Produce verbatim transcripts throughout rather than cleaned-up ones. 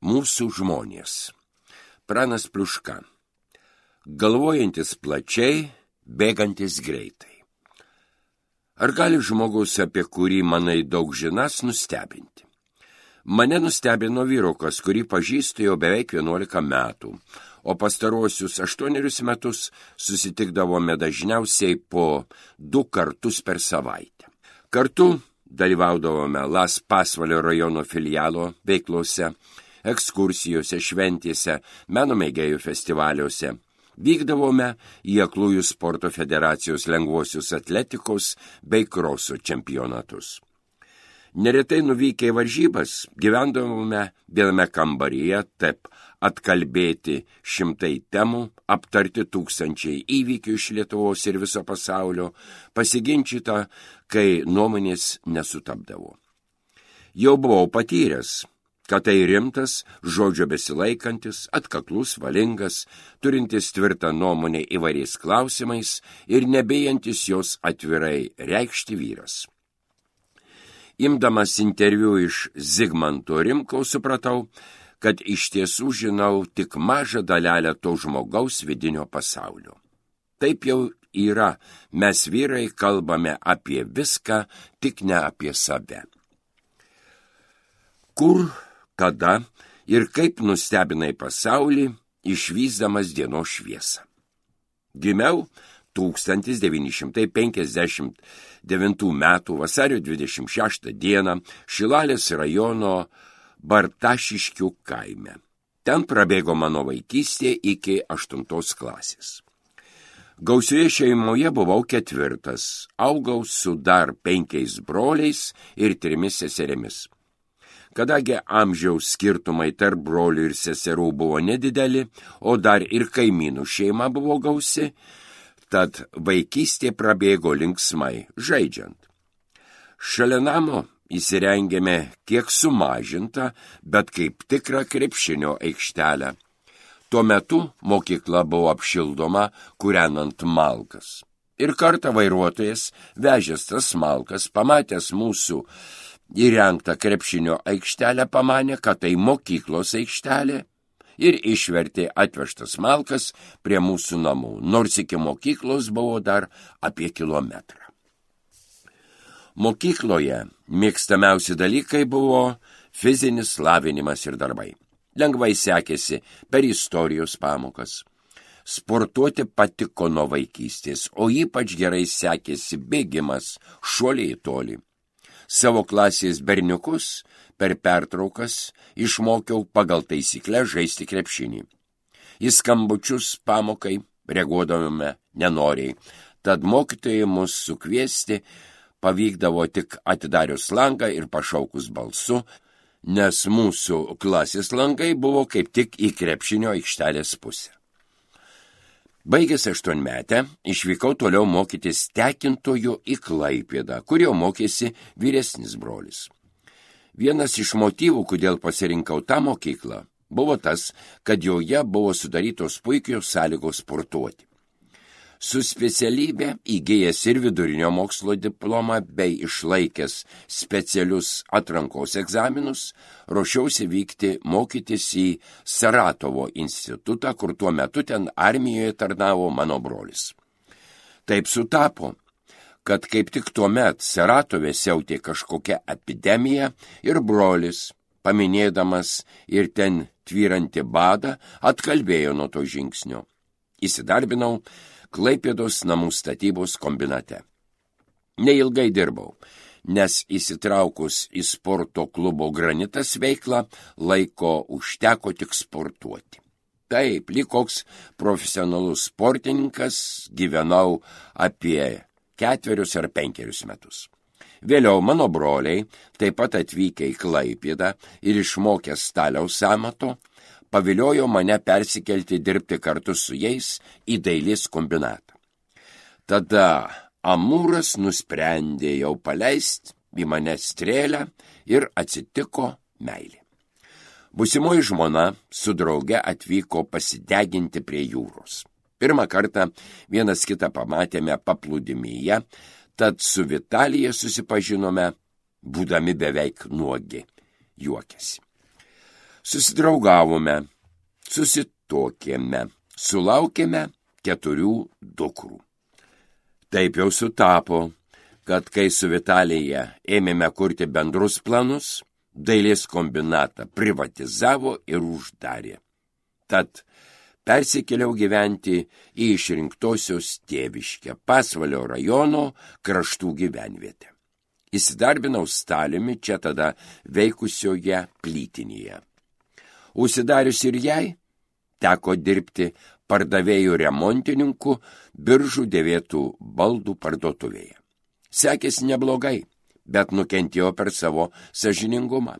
Mūsų žmonės. Pranas Pliuška. Galvojantis plačiai, bėgantis greitai. Ar gali žmogus, apie kurį manai daug žinas, nustebinti? Mane nustebino vyrukas, kurį pažįstu jau beveik vienuolika metų, o pastaruosius aštuonerius metus susitikdavome dažniausiai po du kartus per savaitę. Kartu dalyvaudavome Las Pasvalio rajono filialo veiklose, ekskursijose, šventėse, meno mėgėjų festivaliuose. Vykdavome į Aklųjų sporto federacijos lengvosios atletikos bei kroso čempionatus. Neretai nuvykę į varžybas gyvendavome viename kambaryje, taip atkalbėti šimtai temų, aptarti tūkstančiai įvykių iš Lietuvos ir viso pasaulio, pasiginčyta, kai nuomonės nesutapdavo. Jau buvau patyręs, kad tai rimtas, žodžio besilaikantis, atkaklus, valingas, turintis tvirtą nuomonę įvairiais klausimais ir nebijantis jos atvirai reikšti vyras. Imdamas interviu iš Zigmanto Rimkaus supratau, kad iš tiesų žinau tik mažą dalelę to žmogaus vidinio pasaulio. Taip jau yra, mes vyrai kalbame apie viską, tik ne apie save. Kur, kada ir kaip nustebinai pasaulį, išvysdamas dienos šviesą. Gimiau tūkstantis devyni šimtai penkiasdešimt devintų metų vasario dvidešimt šeštą dieną Šilalės rajono Bartašiškių kaime. Ten prabėgo mano vaikystė iki aštuntos klasės. Gausioje šeimoje buvau ketvirtas, augau su dar penkiais broliais ir trimis seserimis. Kadangi amžiaus skirtumai tarp brolių ir seserų buvo nedideli, o dar ir kaimynų šeima buvo gausi, tad vaikystė prabėgo linksmai, žaidžiant. Šalia namo įsirengėme kiek sumažintą, bet kaip tikrą krepšinio aikštelę. Tuo metu mokykla buvo apšildoma, kūrenant malkas. Ir kartą vairuotojas, vežęs tas malkas, pamatęs mūsų įrengtą krepšinio aikštelę, pamanė, kad tai mokyklos aikštelė ir išvertė atvežtas malkas prie mūsų namų, nors iki mokyklos buvo dar apie kilometrą. Mokykloje mėgstamiausi dalykai buvo fizinis lavinimas ir darbai. Lengvai sekėsi per istorijos pamokas. Sportuoti patiko nuo vaikystės, o ypač gerai sekėsi bėgimas, šuoliai į tolį. Savo klasės berniukus per pertraukas išmokiau pagal taisyklę žaisti krepšinį. Į skambučius pamokai reaguodavome nenoriai, tad mokytojai mus sukviesti pavykdavo tik atidarius langą ir pašaukus balsu, nes mūsų klasės langai buvo kaip tik į krepšinio aikštelės pusę. Baigęs aštuonmetę, išvykau toliau mokytis tekintojų į Klaipėdą, kur jau mokėsi vyresnis brolis. Vienas iš motyvų, kodėl pasirinkau tą mokyklą, buvo tas, kad joje buvo sudarytos puikios sąlygos sportuoti. Su specialybė įgijęs ir vidurinio mokslo diplomą bei išlaikęs specialius atrankos egzaminus, ruošiausi vykti mokytis į Saratovo institutą, kur tuo metu ten armijoje tarnavo mano brolis. Taip sutapo, kad kaip tik tuo met Saratove siautė kažkokia epidemija ir brolis, paminėdamas ir ten tvyrantį badą, atkalbėjo nuo to žingsnio. Įsidarbinau Klaipėdos namų statybos kombinate. Neilgai dirbau, nes įsitraukus į sporto klubo Granitas veiklą, laiko užteko tik sportuoti. Taip, lyg koks profesionalus sportininkas gyvenau apie ketverius ar penkerius metus. Vėliau mano broliai, taip pat atvykę į Klaipėdą ir išmokę staliaus amato, paviliojo mane persikelti dirbti kartu su jais į dailės kombinatą. Tada Amūras nusprendė jau paleisti į mane strėlę ir atsitiko meilė. Būsimoji žmona su drauge atvyko pasideginti prie jūros. Pirmą kartą vienas kitą pamatėme paplūdimyje, tad su Vitalija susipažinome, būdami beveik nuogi, juokėsi. Susidraugavome, susituokėme, sulaukėme keturių dukrų. Taip jau sutapo, kad kai su Vitalija ėmėme kurti bendrus planus, dailės kombinatą privatizavo ir uždarė. Tad persikėliau gyventi į išrinktosios tėviškę, Pasvalio rajono Kraštų gyvenvietę. Įsidarbinau Staliumi čia tada veikusioje plytinėje. Užsidarius ir jai, teko dirbti pardavėjų remontininku Biržų dėvėtų baldų parduotuvėje. Sekėsi neblogai, bet nukentėjo per savo sąžiningumą.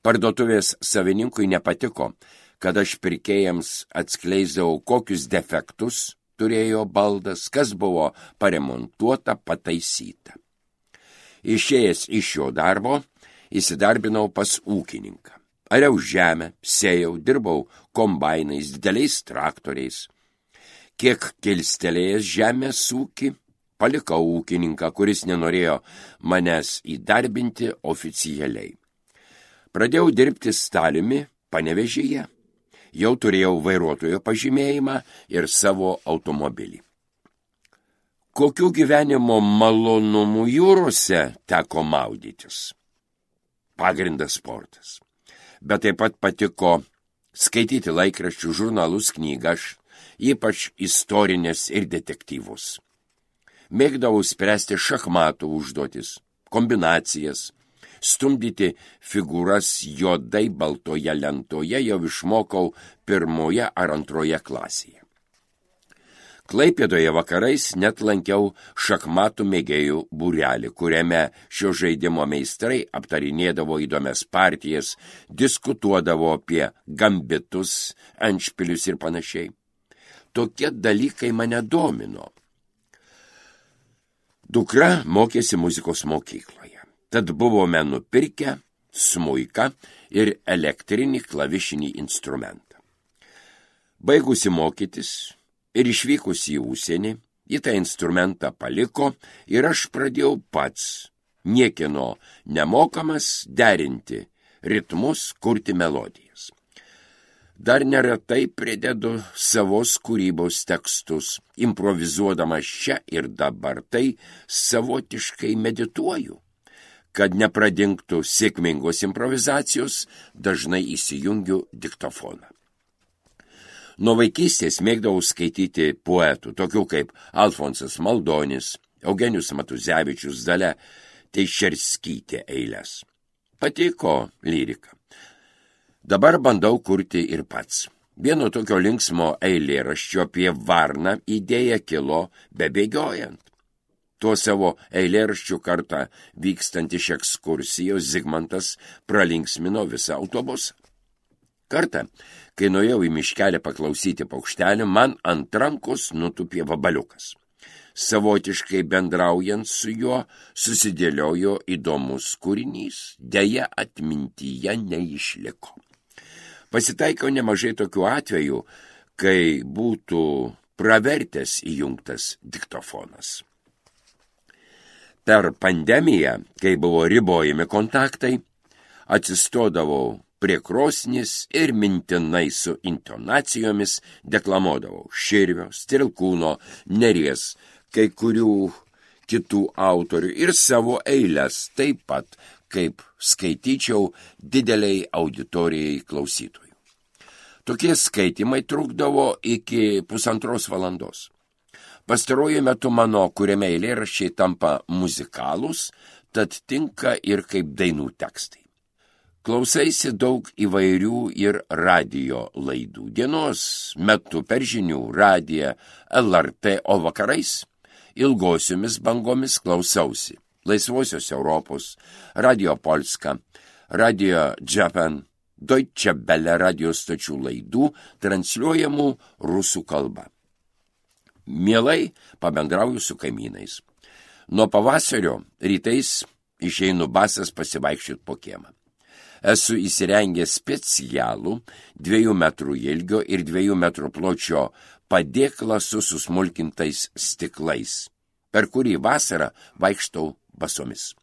Parduotuvės savininkui nepatiko, kad aš pirkėjams atskleisdavau, kokius defektus turėjo baldas, kas buvo paremontuota, pataisyta. Išėjęs iš šio darbo, įsidarbinau pas ūkininką. Ariau žemę, sėjau, dirbau kombainais, dideliais traktoriais. Kiek kilstelėjęs žemės ūkį, palikau ūkininką, kuris nenorėjo manęs įdarbinti oficialiai. Pradėjau dirbti Staliumi Panevėžyje. Jau turėjau vairuotojo pažymėjimą ir savo automobilį. Kokių gyvenimo malonumų jūrose teko maudytis? Pagrindas sportas. Bet taip pat patiko skaityti laikraščių, žurnalus, knygas, ypač istorinės ir detektyvus. Mėgdavau spręsti šachmatų užduotis, kombinacijas, stumdyti figūras juodai baltoje lentoje jau išmokau pirmoje ar antroje klasėje. Klaipėdoje vakarais net lankiau šachmatų mėgėjų būrelį, kuriame šio žaidimo meistrai aptarinėdavo įdomias partijas, diskutuodavo apie gambitus, endšpilius ir panašiai. Tokie dalykai mane domino. Dukra mokėsi muzikos mokykloje, tad buvome nupirkę smuiką ir elektrinį klavišinį instrumentą. Baigusi mokytis ir išvykusi į užsienį, ji tą instrumentą paliko ir aš pradėjau pats, niekieno nemokamas, derinti ritmus, kurti melodijas. Dar neretai pridedu savos kūrybos tekstus, improvizuodamas čia ir dabar, tai savotiškai medituoju. Kad nepradingtų sėkmingos improvizacijos, dažnai įsijungiu diktofoną. Nuo vaikystės mėgdavau skaityti poetų, tokių kaip Alfonsas Maldonis, Eugenijus Matuzevičius, Dalia Teišerskytė eiles. Patiko lyrika. Dabar bandau kurti ir pats. Vieno tokio linksmo eilėraščio apie varną idėja kilo bebėgiojant. Tuo savo eilėraščių kartą vykstant iš ekskursijos Zigmantas pralinksmino visą autobusą. Kartą, kai nuėjau į miškelį paklausyti paukštelių, man ant rankos nutupė vabaliukas. Savotiškai bendraujant su juo susidėliojo įdomus kūrinys, deja atmintyje neišliko. Pasitaiko nemažai tokių atvejų, kai būtų pravertęs įjungtas diktofonas. Per pandemiją, kai buvo ribojami kontaktai, atsistodavau prie krosnis ir mintinai su intonacijomis deklamuodavau Širvio, Strilkūno, Neries, kai kurių kitų autorių ir savo eiles, taip pat kaip skaityčiau dideliai auditorijai klausytojų. Tokie skaitimai trukdavo iki pusantros valandos. Pastaruoju metu mano kuriame eilėraščiai tampa muzikalūs, tad tinka ir kaip dainų tekstai. Klausaisi daug įvairių ir radijo laidų. Dienos metu per žinių, radiją, L R T, o vakarais ilgosiomis bangomis klausausi Laisvosios Europos, Radio Polska, Radio Japan, Deutsche Welle radio stočių laidų transliuojamų rusų kalba. Mielai pabendrauju su kaimynais. Nuo pavasario rytais išeinu basas pasivaikščioti po kiemą. Esu įsirengęs specialų dviejų metrų ilgio ir dviejų metrų pločio padėklą su susmulkintais stiklais, per kurį vasarą vaikštau basomis.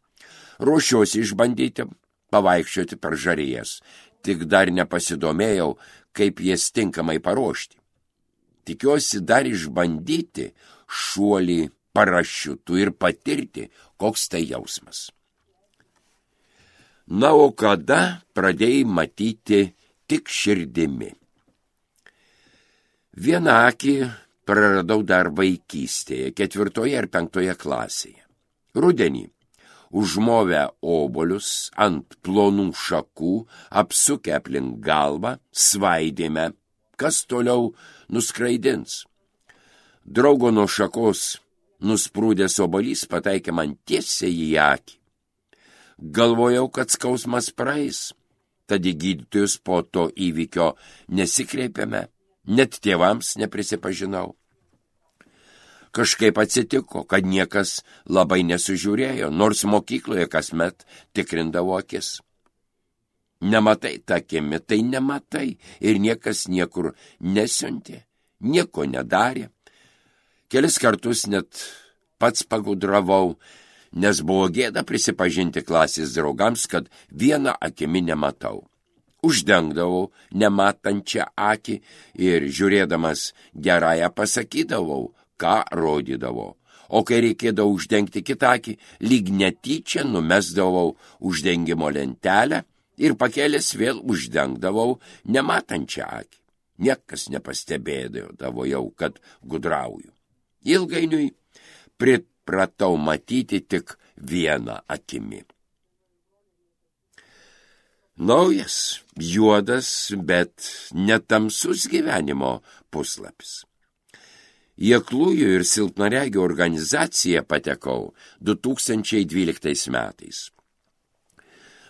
Ruošiuosi išbandyti pavaikščioti per žarijas. tik dar nepasidomėjau, kaip jas tinkamai paruošti. Tikiuosi dar išbandyti šuolį parašiutų ir patirti, koks tai jausmas. Na, o kada pradėjai matyti tik širdimi? Vieną akį praradau dar vaikystėje, ketvirtoje ar penktoje klasėje. Rudenį, užmovę obuolius ant plonų šakų, apsukę aplink galvą, svaidėme, kas toliau nuskraidins. Draugo nuo šakos nusprūdęs obuolys pataikė man tiesiai į akį. Galvojau, kad skausmas praeis, tad į gydytojus po to įvykio nesikreipėme, net tėvams neprisipažinau. Kažkaip atsitiko, kad niekas labai nesužiūrėjo, nors mokykloje kasmet tikrindavo akis. Nematai tą akimi, tai nematai, ir niekas niekur nesiuntė, nieko nedarė. Kelis kartus net pats pagudravau, nes buvo gėda prisipažinti klasės draugams, kad vieną akimi nematau. Uždengdavau nematančią akį ir žiūrėdamas gerąją pasakydavau, ką rodydavau. O kai reikėdavo uždengti kitą akį, lyg netyčia numesdavau uždengimo lentelę ir pakėlęs vėl uždengdavau nematančią akį. Niekas nepastebėdavo jau, kad gudrauju. Ilgainiui pripratau matyti tik vieną akimi. Naujas, juodas, bet netamsus gyvenimo puslapis. Į aklųjų ir silpnaregių organizaciją patekau du tūkstančiai dvyliktais metais.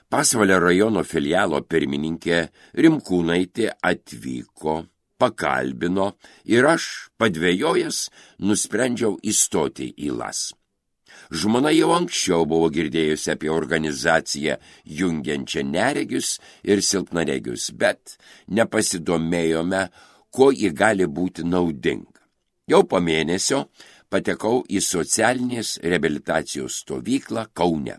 Pasvalio rajono filialo pirmininkė Rimkūnaitė atvyko, pakalbino ir aš, padvejojęs, nusprendžiau įstoti į Las. Žmona jau anksčiau buvo girdėjusi apie organizaciją jungiančią neregius ir silpnaregius, bet nepasidomėjome, kuo ji gali būti naudinga. Jau po mėnesio patekau į socialinės reabilitacijos stovyklą Kaune.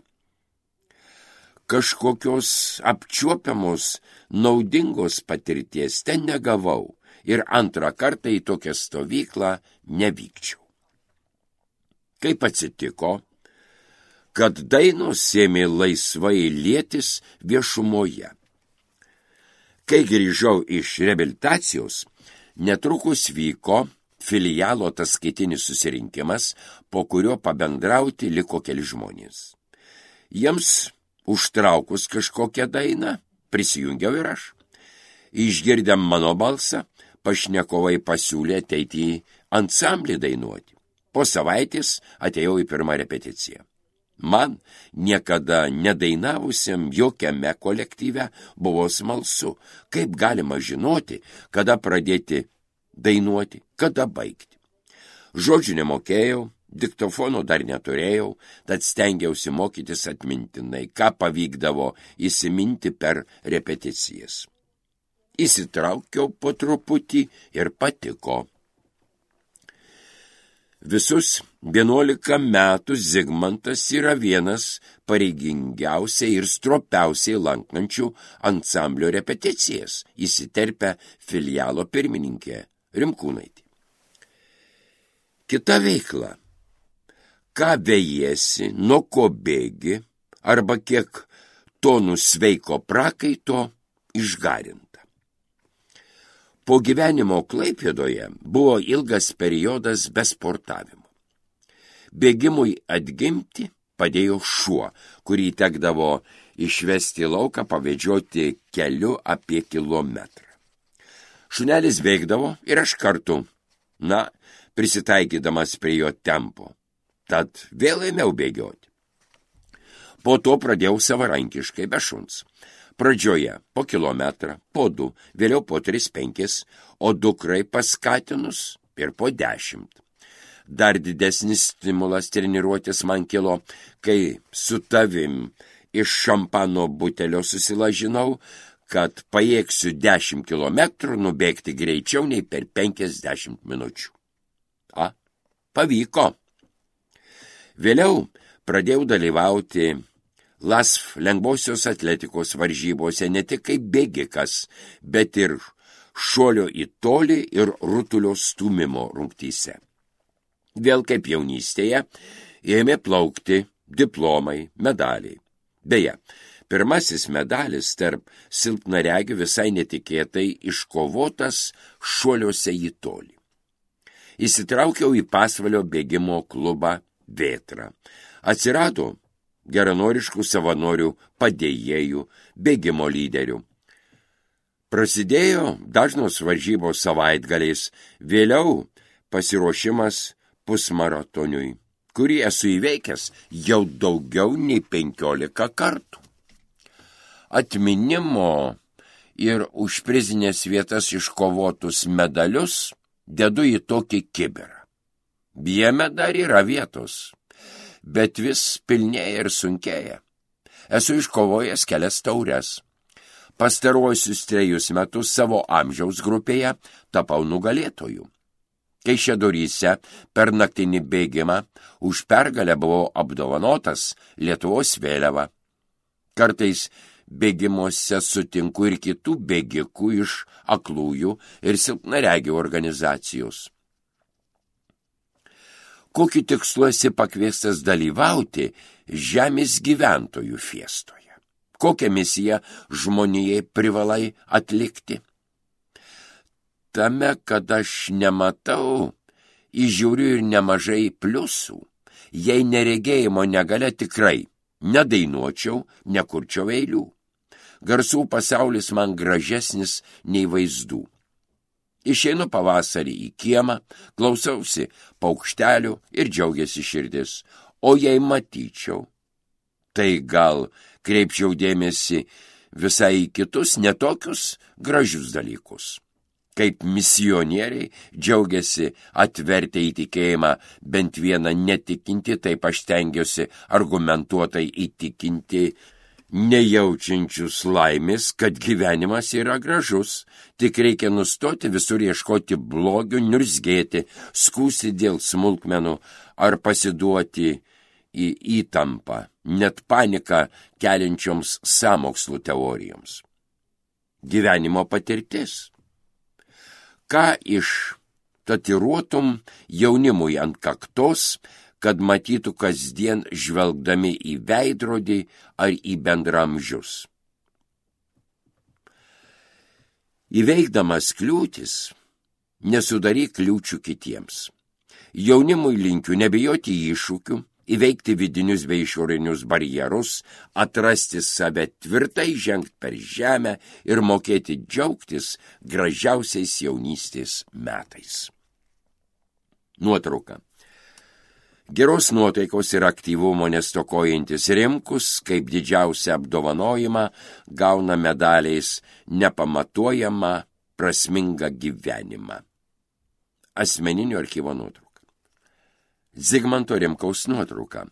Kažkokios apčiuopiamos naudingos patirties ten negavau ir antrą kartą į tokią stovyklą nevykčiau. Kaip atsitiko, kad dainos ėmė laisvai lietis viešumoje. Kai grįžau iš reabilitacijos, netrukus vyko filialo ataskaitinis susirinkimas, po kurio pabendrauti liko keli žmonės. Jiems užtraukus kažkokią dainą, prisijungiau ir aš. Išgirdėm mano balsą, pašnekovai pasiūlė ateiti į ansamblį dainuoti. Po savaitės atėjau į pirmą repeticiją. Man, niekada nedainavusiam jokiame kolektyve, buvo smalsu, kaip galima žinoti, kada pradėti dainuoti, kada baigti. Žodžių nemokėjau, diktofono dar neturėjau, tad stengiausi mokytis atmintinai, ką pavykdavo įsiminti per repeticijas. Įsitraukiau po truputį ir patiko. Visus vienuolika metų Zigmantas yra vienas pareigingiausiai ir stropiausiai lankančių ansamblio repeticijas, įsiterpia filialo pirmininkė Rimkūnaitė. Kita veikla. Ką vejiesi, nuo ko bėgi, arba kiek tonų sveiko prakaito išgarinta. Po gyvenimo Klaipėdoje buvo ilgas periodas be sportavimo. Bėgimui atgimti padėjo šuo, kurį tekdavo išvesti į lauką pavedžioti keliu apie kilometrą. Šunelis bėgdavo ir aš kartu, na, prisitaikydamas prie jo tempo. Tad vėl ėmiau bėgioti. Po to pradėjau savarankiškai be šuns. Pradžioje po kilometrą, po du, vėliau po tris penkis, o dukrai paskatinus ir po dešimt. Dar didesnis stimulas treniruotis man kilo, kai su tavim iš šampano butelio susilažinau, kad pajėgsiu dešimt kilometrų nubėgti greičiau nei per penkiasdešimt minučių. A, pavyko. Vėliau pradėjau dalyvauti Lasf lengvosios atletikos varžybose ne tik kaip bėgikas, bet ir šuolio į tolį ir rutulio stūmimo rungtyse. Vėl kaip jaunystėje ėmė plaukti diplomai, medaliai. Beje, pirmasis medalis tarp silpnaregių visai netikėtai iškovotas šuoliuose į tolį. Įsitraukiau į pasvalio bėgimo klubą Vėtra. Atsirado geranoriškų savanorių, padėjėjų, bėgimo lyderių. Prasidėjo dažnos varžybos savaitgaliais, vėliau pasiruošimas pusmaratoniui, kurį esu įveikęs jau daugiau nei penkiolika kartų. Atminimo ir už prizinės vietas iškovotus medalius dedu į tokį kibirą. Jame dar yra vietos, bet vis pilnėja ir sunkėja. Esu iškovojęs kelias taures. Pastaruosius trejus metus savo amžiaus grupėje tapau nugalėtoju. Kaišiadoryse per naktinį bėgimą už pergalę buvau apdovanotas Lietuvos vėliava. Kartais bėgimuose sutinku ir kitų bėgikų iš aklųjų ir silpnaregių organizacijos. Kokiu tikslu esi pakviestas dalyvauti žemės gyventojų fiestoje? Kokią misiją žmonijai privalai atlikti? Tame, kad aš nematau, įžiūriu ir nemažai pliusų. Jei neregėjimo negalia tikrai nedainuočiau, nekurčiau eilių. Garsų pasaulis man gražesnis nei vaizdų. Išeinu pavasarį į kiemą, klausausi paukštelių ir džiaugiasi širdis. O jei matyčiau, tai gal kreipčiau dėmesį visai į kitus netokius gražius dalykus. Kaip misionieriai džiaugiasi atvertę į tikėjimą bent vieną netikinti, taip aš stengiuosi argumentuotai įtikinti nejaučiančius laimės, kad gyvenimas yra gražus, tik reikia nustoti visur ieškoti blogių, niurzgėti, skųsti dėl smulkmenų ar pasiduoti į įtampą, net paniką keliančioms sąmokslų teorijoms. Gyvenimo patirtis. Ką iš tatiruotum jaunimui ant kaktos, kad matytų kasdien žvelgdami į veidrodį ar į bendramžius. Įveikdamas kliūtis, nesudaryk kliūčių kitiems. Jaunimui linkiu nebijoti iššūkių, įveikti vidinius bei išorinius barjerus, atrasti save tvirtai, žengti per žemę ir mokėti džiaugtis gražiausiais jaunystės metais. Nuotrauka. Geros nuotaikos ir aktyvumo nestokojantis Rimkus, kaip didžiausią apdovanojimą, gauna medaliais nepamatuojamą prasmingą gyvenimą. Asmeninio archyvo nuotrauka. Zigmanto Rimkaus nuotrauka.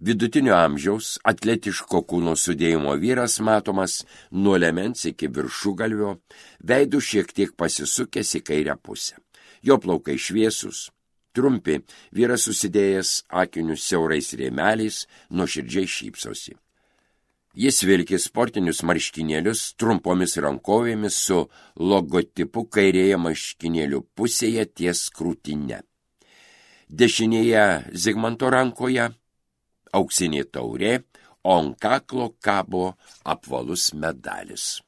Vidutinio amžiaus atletiško kūno sudėjimo vyras matomas nuo liemens iki viršugalvio, veidu šiek tiek pasisukęs į kairę pusę. Jo plaukai šviesus, trumpi, vyras susidėjęs akinius siaurais rėmeliais, nuoširdžiai šypsosi. Jis vilki sportinius marškinėlius trumpomis rankovėmis su logotipu kairėje marškinėlių pusėje ties krūtine. Dešinėje Zigmanto rankoje auksinė taurė, o ant kaklo kabo apvalus medalis.